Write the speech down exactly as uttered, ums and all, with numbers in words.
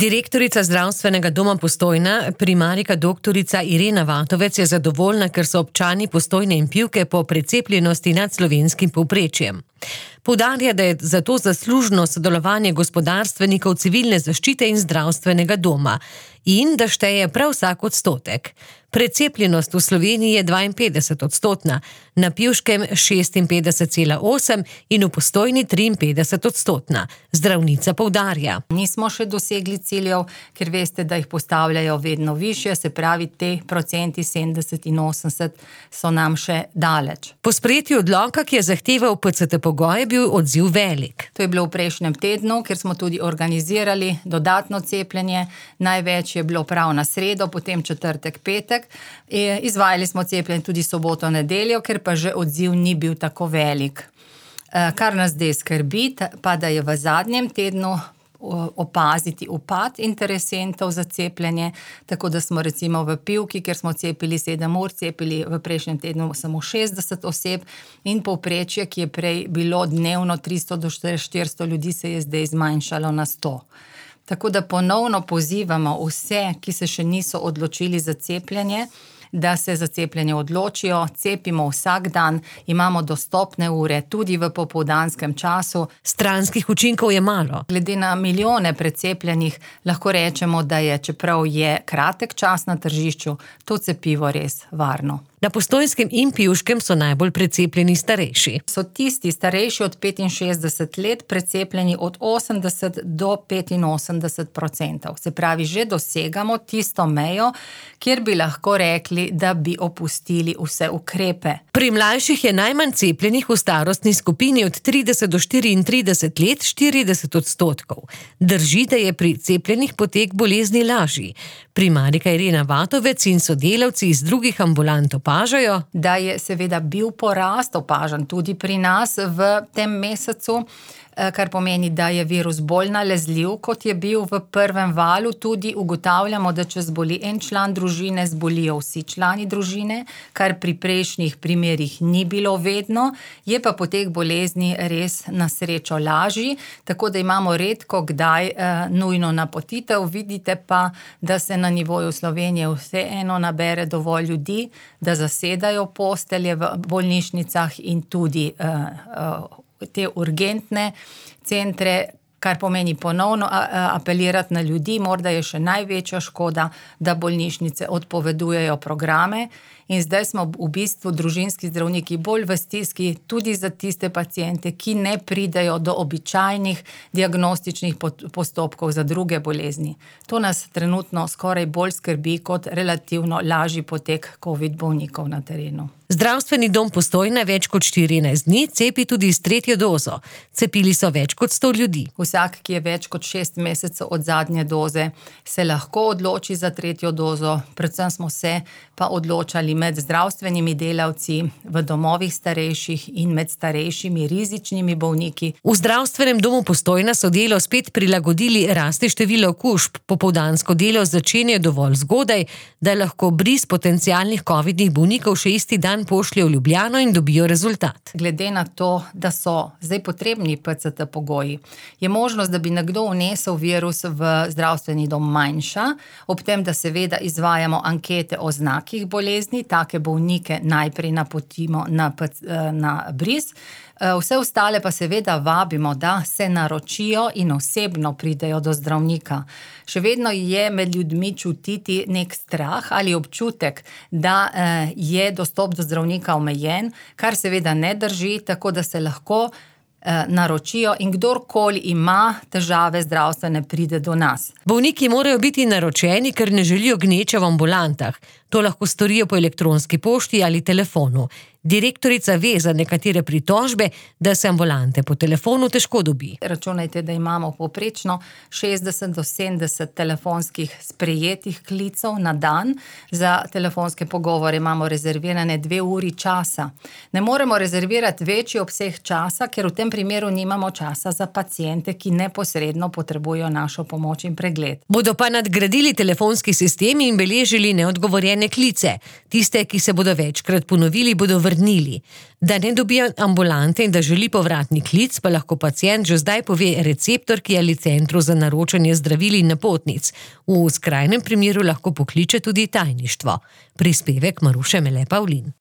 Direktorica zdravstvenega doma Postojna, primarijka doktorica Irena Vatovec je zadovoljna, ker so občani Postojne in Pivke po precepljenosti nad slovenskim povprečjem. Poudarja, da je zato zaslužno sodelovanje gospodarstvenikov, civilne zaščite in zdravstvenega doma in da šteje prav vsak odstotek. Precepljenost v Sloveniji je dvainpetdeset odstotna, na Pivškem šestinpetdeset cela osem in v Postojni triinpetdeset odstotna. Zdravnica poudarja. Nismo še dosegli ciljev, ker veste, da jih postavljajo vedno višje, se pravi, te procenti sedemdeset in osemdeset so nam še daleč. Po sprejetju odloka, ki je zahteval P C T pogoj, je bil odziv velik. To je bilo v prejšnjem tednu, kjer smo tudi organizirali dodatno cepljenje. Največ je bilo prav na sredo, potem četrtek, petek. Izvajali smo cepljenje tudi soboto, nedeljo, ker pa že odziv ni bil tako velik. Kar nas zdaj skrbi, pa da je v zadnjem tednu opaziti upad interesentov za cepljenje, tako da smo recimo v Pivki, kjer smo cepili sedem ur, cepili v prejšnjem tednu samo šestdeset oseb in povprečje, ki je prej bilo dnevno tristo do štiristo ljudi, se je zdaj zmanjšalo na sto. Tako da ponovno pozivamo vse, ki se še niso odločili za cepljenje, da se za cepljenje odločijo, cepimo vsak dan, imamo dostopne ure tudi v popoldanskem času. Stranskih učinkov je malo. Glede na milijone precepljenih lahko rečemo, da je, čeprav je kratek čas na tržišču, to cepivo res varno. Na Postojnskem in Pivškem so najbolj precepljeni starejši. So tisti starejši od petinšestdeset let precepljeni od osemdeset do petinosemdeset procentov. Se pravi, že dosegamo tisto mejo, kjer bi lahko rekli, da bi opustili vse ukrepe. Pri mlajših je najmanj cepljenih v starostni skupini od trideset do štiriintrideset let štirideset odstotkov. Drži, da je pri cepljenih potek bolezni lažji. Primarijka Irena Vatovec in sodelavci iz drugih ambulant opažajo, da je seveda bil porast opažen tudi pri nas v tem mesecu, kar pomeni, da je virus bolj nalezljiv, kot je bil v prvem valu. Tudi ugotavljamo, da če zboli en član družine, zbolijo vsi člani družine, kar pri prejšnjih primerih ni bilo vedno, je pa potek bolezni res na srečo lažji, tako da imamo redko kdaj eh, nujno napotitev. Vidite pa, da se na nivoju Slovenije vseeno nabere dovolj ljudi, da zasedajo postelje v bolnišnicah in tudi eh, eh, te urgentne centre, kar pomeni ponovno apelirati na ljudi. Morda je še največja škoda, da bolnišnice odpovedujejo programe in zdaj smo v bistvu družinski zdravniki bolj v stiski tudi za tiste paciente, ki ne pridejo do običajnih diagnostičnih postopkov za druge bolezni. To nas trenutno skoraj bolj skrbi kot relativno lažji potek COVID bolnikov na terenu. Zdravstveni dom Postojna več kot štirinajst dni cepi tudi s tretjo dozo. Cepili so več kot sto ljudi. Vsak, ki je več kot šest mesecev od zadnje doze, se lahko odloči za tretjo dozo. Predvsem smo se pa odločali med zdravstvenimi delavci v domovih starejših in med starejšimi rizičnimi bolniki. V zdravstvenem domu Postojna so delo spet prilagodili rasti število okužb. Popoldansko delo začenja dovolj zgodaj, da lahko bris potencialnih covidnih bolnikov še isti dan pošlje v Ljubljano in dobijo rezultat. Glede na to, da so zdaj potrebni P C T pogoji, je možnost, da bi nekdo vnesel virus v zdravstveni dom manjša, ob tem, da seveda izvajamo ankete o znakih bolezni, take bolnike najprej napotimo na, na bris, vse ostale pa seveda vabimo, da se naročijo in osebno pridejo do zdravnika. Še vedno je med ljudmi čutiti nek strah ali občutek, da je dostop do zdravnika omejen, kar seveda ne drži, tako da se lahko naročijo in kdorkoli ima težave zdravstvene, pride do nas. Bolniki morajo biti naročeni, ker ne želijo gneče v ambulantah. To lahko storijo po elektronski pošti ali telefonu. Direktorica ve za nekatere pritožbe, da se ambulante po telefonu težko dobi. Računajte, da imamo povprečno šestdeset do sedemdeset telefonskih sprejetih klicev na dan. Za telefonske pogovore imamo rezervirane dve uri časa. Ne moremo rezervirati večji obseg časa, ker v tem primeru nimamo časa za paciente, ki neposredno potrebujejo našo pomoč in pregled. Bodo pa nadgradili telefonski sistem in beležili neodgovorjene klice. Tiste, ki se bodo večkrat ponovili, bodo v vrnili. Da ne dobijo ambulante in da želi povratni klic, pa lahko pacient že zdaj pove receptorki ali centru za naročanje zdravil in napotnic. V skrajnem primeru lahko pokliče tudi tajništvo. Prispevek Maruše Mele Pavlin.